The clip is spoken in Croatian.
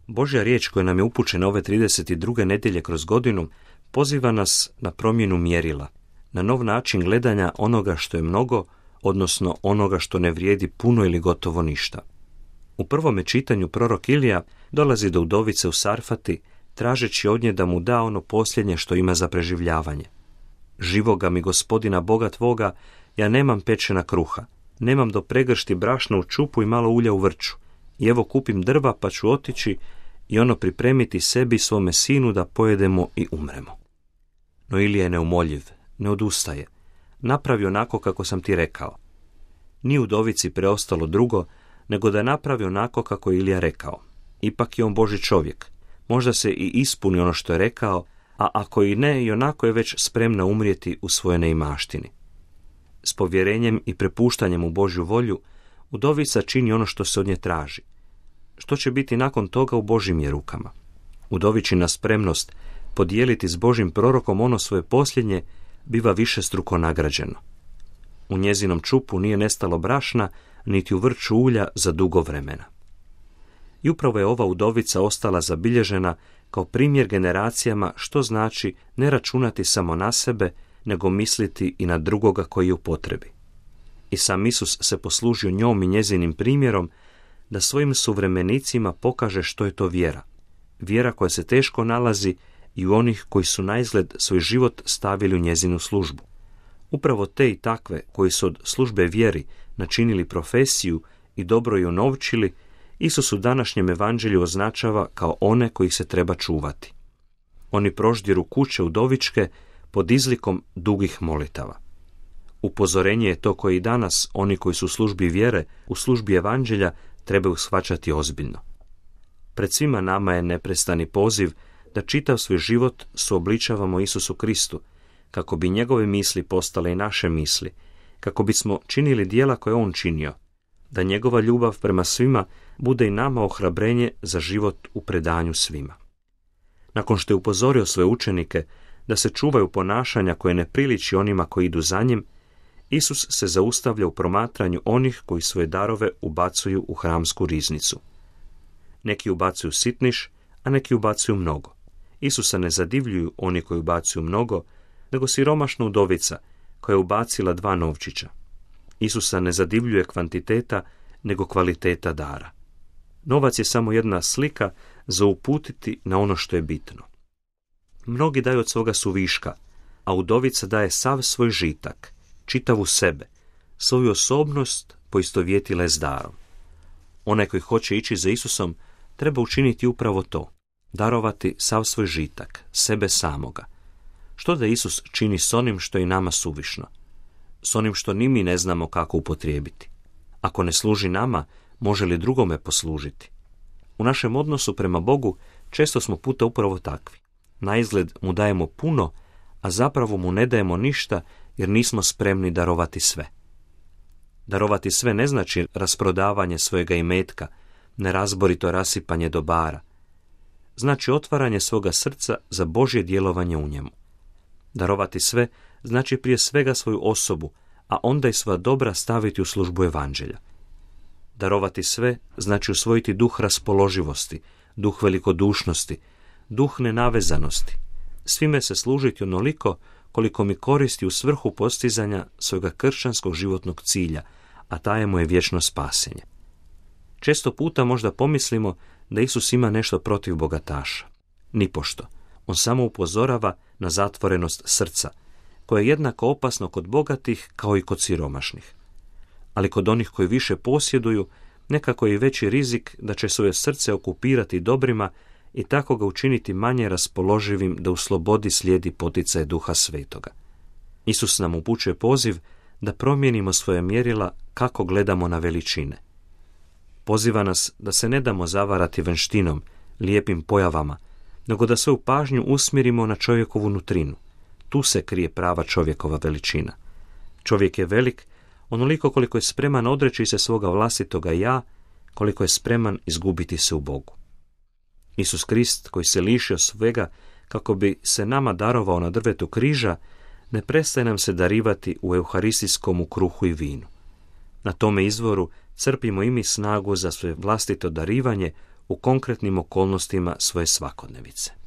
Božja riječ koja nam je upućena ove 32. nedjelje kroz godinu poziva nas na promjenu mjerila, na nov način gledanja onoga što je mnogo, odnosno onoga što ne vrijedi puno ili gotovo ništa. U prvome čitanju prorok Ilija dolazi do udovice u Sarfati, tražeći od nje da mu da ono posljednje što ima za preživljavanje. Živoga mi Gospodina Boga tvoga, ja nemam pečena kruha, nemam do pregršti brašna u čupu i malo ulja u vrču. I evo kupim drva pa ću otići i ono pripremiti sebi i svome sinu da pojedemo i umremo. No Ilija je neumoljiv, ne odustaje. Napravi onako kako sam ti rekao. Nije udovici preostalo drugo, nego da napravi onako kako je Ilija rekao. Ipak je on Božji čovjek. Možda se i ispuni ono što je rekao, a ako i ne, i onako je već spremna umrijeti u svojoj neimaštini. S povjerenjem i prepuštanjem u Božju volju, udovica čini ono što se od nje traži. Što će biti nakon toga u Božjim je rukama. Udovičina spremnost podijeliti s Božjim prorokom ono svoje posljednje biva višestruko nagrađeno. U njezinom čupu nije nestalo brašna, niti u vrču ulja za dugo vremena. I upravo je ova udovica ostala zabilježena kao primjer generacijama što znači ne računati samo na sebe, nego misliti i na drugoga koji je u potrebi. I sam Isus se poslužio njom i njezinim primjerom da svojim suvremenicima pokaže što je to vjera. Vjera koja se teško nalazi i u onih koji su naizgled svoj život stavili u njezinu službu. Upravo te i takve koji su od službe vjeri načinili profesiju i dobro ju unovčili, Isus u današnjem evanđelju označava kao one kojih se treba čuvati. Oni proždiru kuće udovičke pod izlikom dugih molitava. Upozorenje je to koje i danas oni koji su u službi vjere, u službi evanđelja, trebaju shvaćati ozbiljno. Pred svima nama je neprestani poziv da čitav svoj život suobličavamo Isusu Kristu, kako bi njegove misli postale i naše misli, kako bismo činili djela koje on činio, da njegova ljubav prema svima bude i nama ohrabrenje za život u predanju svima. Nakon što je upozorio svoje učenike da se čuvaju ponašanja koje ne priliči onima koji idu za njim, Isus se zaustavlja u promatranju onih koji svoje darove ubacuju u hramsku riznicu. Neki ubacuju sitniš, a neki ubacuju mnogo. Isusa ne zadivljuju oni koji ubacuju mnogo, nego siromašna udovica koja je ubacila 2 novčića. Isusa ne zadivljuje kvantiteta, nego kvaliteta dara. Novac je samo jedna slika za uputiti na ono što je bitno. Mnogi daju od svoga suviška, a udovica daje sav svoj žitak, čitavu sebe, svoju osobnost poistovjetila je s darom. Onaj koji hoće ići za Isusom treba učiniti upravo to, darovati sav svoj žitak, sebe samoga. Što da Isus čini s onim što je i nama suvišno? S onim što ni mi ne znamo kako upotrijebiti? Ako ne služi nama, može li drugome poslužiti? U našem odnosu prema Bogu često smo puta upravo takvi. Naizgled mu dajemo puno, a zapravo mu ne dajemo ništa jer nismo spremni darovati sve. Darovati sve ne znači rasprodavanje svojega imetka, nerazborito rasipanje dobara. Znači otvaranje svoga srca za Božje djelovanje u njemu. Darovati sve znači prije svega svoju osobu, a onda i sva dobra staviti u službu evanđelja. Darovati sve znači usvojiti duh raspoloživosti, duh velikodušnosti, duh nenavezanosti. Svime se služiti onoliko koliko mi koristi u svrhu postizanja svojega kršćanskog životnog cilja, a taj mu je vječno spasenje. Često puta možda pomislimo da Isus ima nešto protiv bogataša. Nipošto. On samo upozorava na zatvorenost srca, koje je jednako opasno kod bogatih kao i kod siromašnih. Ali kod onih koji više posjeduju, nekako je i veći rizik da će svoje srce okupirati dobrima i tako ga učiniti manje raspoloživim da u slobodi slijedi poticaj Duha Svetoga. Isus nam upućuje poziv da promijenimo svoje mjerila kako gledamo na veličine. Poziva nas da se ne damo zavarati vanštinom, lijepim pojavama, nego da svoju pažnju usmjerimo na čovjekovu nutrinu. Tu se krije prava čovjekova veličina. Čovjek je velik onoliko koliko je spreman odreći se svoga vlastitoga ja, koliko je spreman izgubiti se u Bogu. Isus Krist, koji se lišio svega kako bi se nama darovao na drvetu križa, ne prestaje nam se darivati u euharistijskom kruhu i vinu. Na tome izvoru crpimo i mi snagu za svoje vlastito darivanje u konkretnim okolnostima svoje svakodnevice.